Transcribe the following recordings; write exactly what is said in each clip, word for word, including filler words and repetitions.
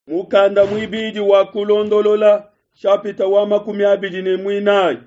Mukanda muibidi wa Kulondolola nshapita wa makumi abidi ne muinayi.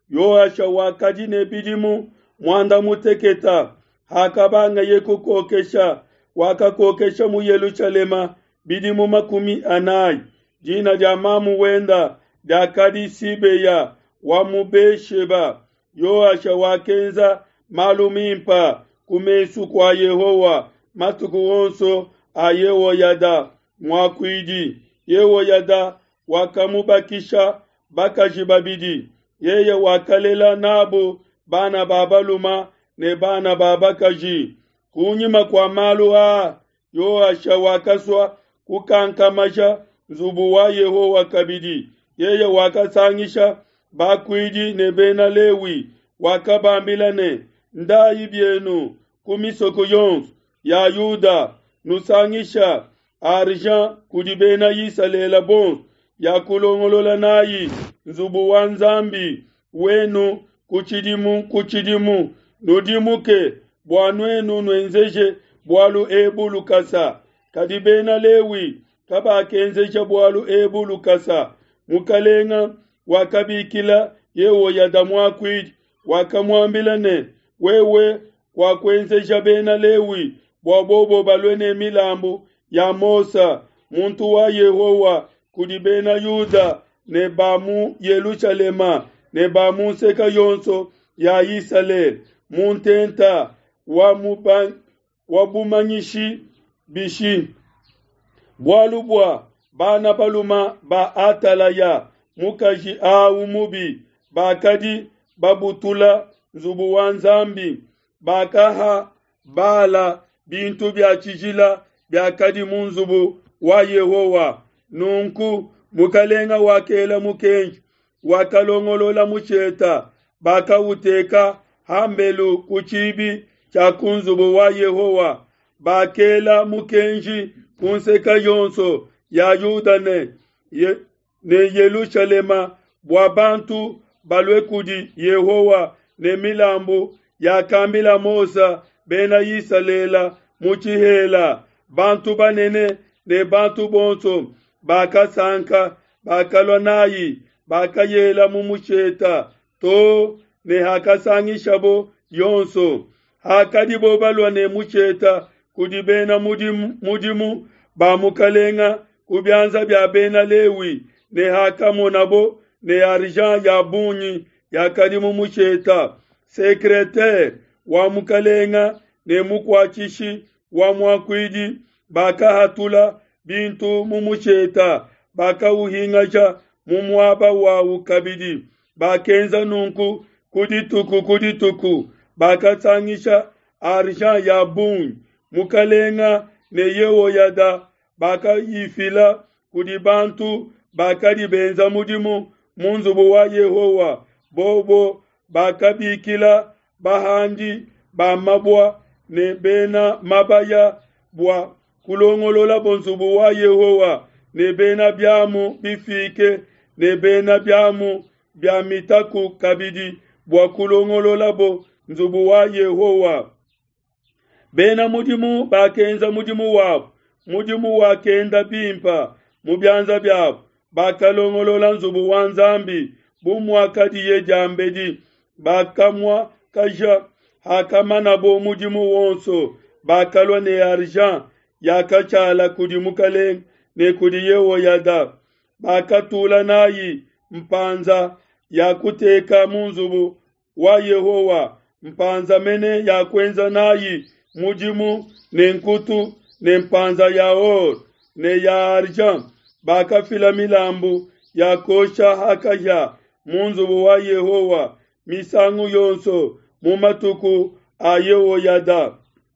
Yoasha wakadi ne bidimu muanda mutekete hakabangaye kukokesha, wakakokesha mu Yelushalema bidimu makumi anayi. Dina dia mamu wenda diakadi Sibeya wa mu Be-sheba. Yoasha wakenza malu mimpe ku mesu kua Yehowa matuku onso a Yehoyada muakuidi. Yehoyada wakamubakisha bakaji babidi, yeye wakalela nabo bana ba balume ne bana ba bakaji. Kunyima kua malu aa, Yoasha wakasua kukankamija nzubu wa Yehowa kabidi. Yeye wakasangisha bakuidi ne bena Lewi, wakabambila ne, Ndayi bienu ku misoko yonso ya Yuda, nusangisha argent kudi bena Isalele bonso ya kulongolola nayi nzubu wa Nzambi wenu ku tshidimu ku tshidimu. Nudimuke bua nuenu nuenzeje bualu ebu lukasa. Kadi bena Lewi kabakenzeja bualu ebu lukasa. Mukalenga wakabikila Yehoyada muakuidi, wakamuambila ne, wewe wakuenzeja bena Lewi bua bobo balue ne milambu ya Mose muntu wa Yehowa kudi bena Yuda ne ba mu Yelushalema ne ba mu nseke yonso ya Isalele mu ntenta wa, wa bumanyishi bishi. Bualu bua bana balume ba Atalaya mukaji awu mubi bakadi babutula nzubu wa Nzambi, bakaha Bala bintu bia tshijila biakadi mu nzubu wa Yehowa. Nunku mukalenga wakela mukenji, wakalongolola musheta, bakauteka hambelu ku tshibi tshia ku nzubu wa Yehowa. Bakela mukenji ku nseke yonso ya Yuda ne, ye, ne Yelushalema bua bantu balue kudi Yehowa ne milambu yakambila Mose bena Isalele mu tshihela. Bantu banene ne bantu bonso bakasanka, bakalua nayi, bakayela mu musheta to ne hakasangishabo yonso. Hakadibo balua ne musheta kudi bena mudimu, mudimu ba mukalenga ku bianza bia bena Lewi, ne hakamonabo ne argent ya bungi yakadi mu musheta, secretaire wa mukalenga ne mukuatshishi wa muakuidi bakahatula bintu mu musheta, bakauhingaja mu muaba wawu kabidi. Bakenza nunku ku dituku ku dituku, bakasangisha argent ya bungi. Mukalenga ne Yehoyada bakayifila kudi bantu bakadi benza mudimu mu nzubu wa Yehowa. Bobo bakabikila bahandi ba mabua ne bena mabaya bua kulongololabo nzubu wa Yehowa, ne bena biamu bifike ne bena biamu bia mitaku kabidi bua kulongololabo nzubu wa Yehowa. Bena mudimu bakenza mudimu wabo, mudimu wakenda bimpe mu bianza biabo. Bakalongolola nzubu wa Nzambi bu muakadiye diambedi, bakamuakaja. Hakamanabo mudimu wonso, bakalua ne argent yakashala kudi mukalenga ne kudi Yehoyada. Bakatula nayi mpanza ya kuteka mu nzubu wa Yehowa, mpanza mene ya kuenza nayi mudimu ne nkutu ne mpanza ya or ne ya argent. Bakafila milambu ya kosha ha kahia mu nzubu wa Yehowa misangu yonso mu matuku a Yehoyada.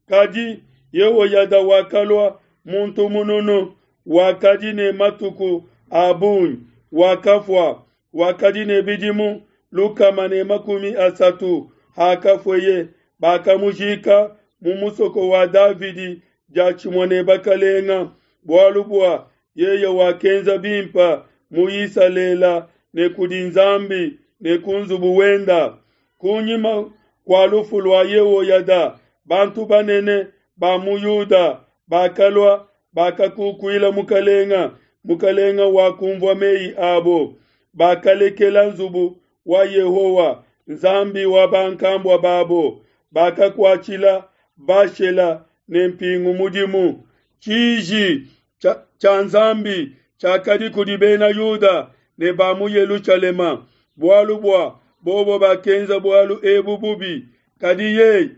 Kadi Yehoyada wakalua muntu mununu, wakadi ne matuku a bungi, wakafua, wakadi ne bidimu lukama ne makumi asatu hakafueye. Bakamujika mu musoko wa Davidi diatshimue ne bakalenga, bualu bua yeye wakenza bimpe mu Isalele ne kudi Nzambi ne ku nzubu wenda. Kunyima kua lufu lua Yehoyada, bantu banene ba mu Yuda bakalua, bakakukuila mukalenga. Mukalenga wakumvua meyi abo. Bakalekela nzubu wa Yehowa, Nzambi wa bankambua babo, bakakuatshila Bashela ne mpingu mudimu. Tshiji tshia Nzambi tshiakadi kudi bena Yuda ne ba mu Yelushalema, bualu bua bobo bakenza bualu ebu bubi. Kadi yeye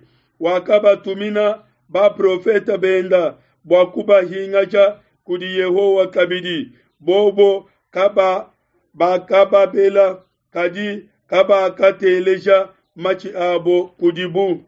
wakabatumina baprofete benda bua kubahingaja kudi Yehowa kabidi, bobo kaba bakababela, kadi kabakateleja matshi abo kudibu.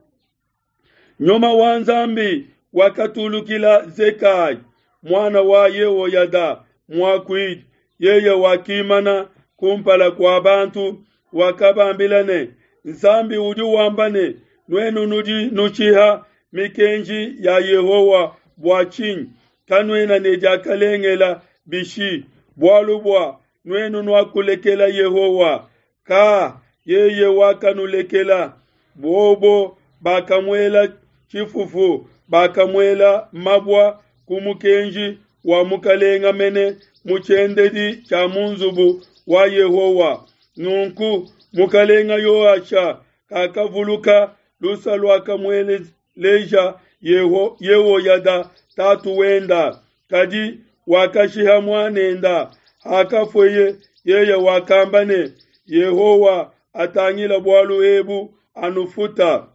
Nyuma wa Nzambi wakatulukila Zekai muana wa Yehoyada muakuidi, yeye wakimana kumpala kua bantu, wakabambila ne, Nzambi udi wamba ne, nuenu nudi nushiha mikenji ya Yehowa bua tshinyi? Kanuena ne diakalengela bishi? Bualu bua nuenu nuakulekela Yehowa, ka yeye wakanulekela. Bobo bakamuela tshifufu, bakamuela mabua ku mukenji wa mukalenga mene mu tshiendedi tshia mu nzubu wa Yehowa. Nunku mukalenga Yoasha kakavuluka lusa luakamueleja Yeho, Yehoyada tatu wenda, kadi wakashiha muanenda. Hakafueye yeye wakamba ne, Yehowa atangila bualu ebu anufuta.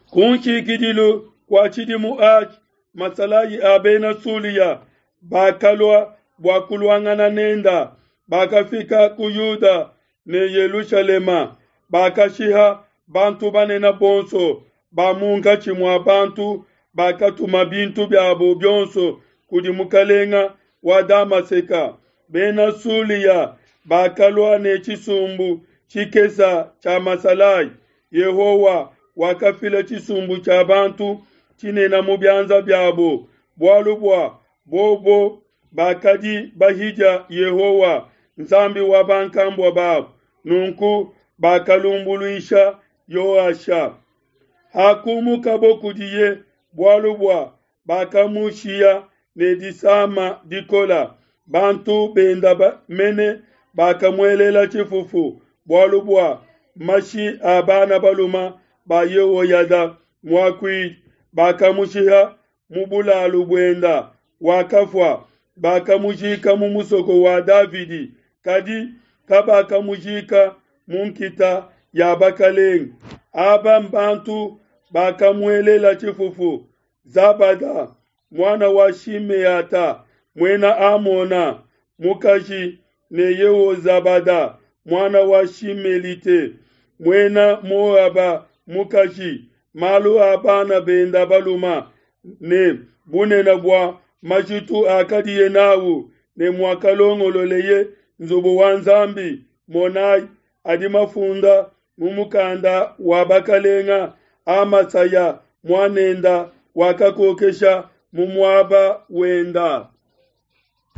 Ku nshikidilu kua tshidimu atshi, masalayi a bena Sulia bakalua bua kuluangana nenda, bakafika ku Yuda ne Yelushalema, bakashiha bantu banene bonso ba munkatshi mua bantu, bakatuma bintu biabo bionso kudi mukalenga wa Damaseka. Bena Sulia bakalua ne tshisumbu tshikesa tshia masalayi. Yehowa wakafila tshisumbu tshia bantu tshinene mu bianza biabo, bualu bua bobo bakadi bahidia Yehowa, Nzambi wa bankambua babo. Nunku bakalumbuluisha Yoasha. Hakumukabo kudiye, bualu bua bakamushiya ne disama dikola, bantu benda ba, mene bakamuelela tshifufu, bualu bua mashi a bana baluma ba Yehoyada muakuidi bakamushiha mu bulalu buenda, wakafua. Bakamujika mu musoko wa Davidi, kadi kabakamujika mu nkita ya bakalenge. Aba mbantu bakamuelela tshifufu: Zabada muana wa Shimeata muena Amona mukaji, ne Yehozabada muana wa Shimelite muena Moaba mukaji. Malu a bana benda baluma ne bunene bua majitu akadiye nawu ne muakalongololeye nzubu wa Nzambi, monayi, adi mafunda mu mukanda wa bakalenga. Amasaya muanenda wakakokesha mu muaba wenda.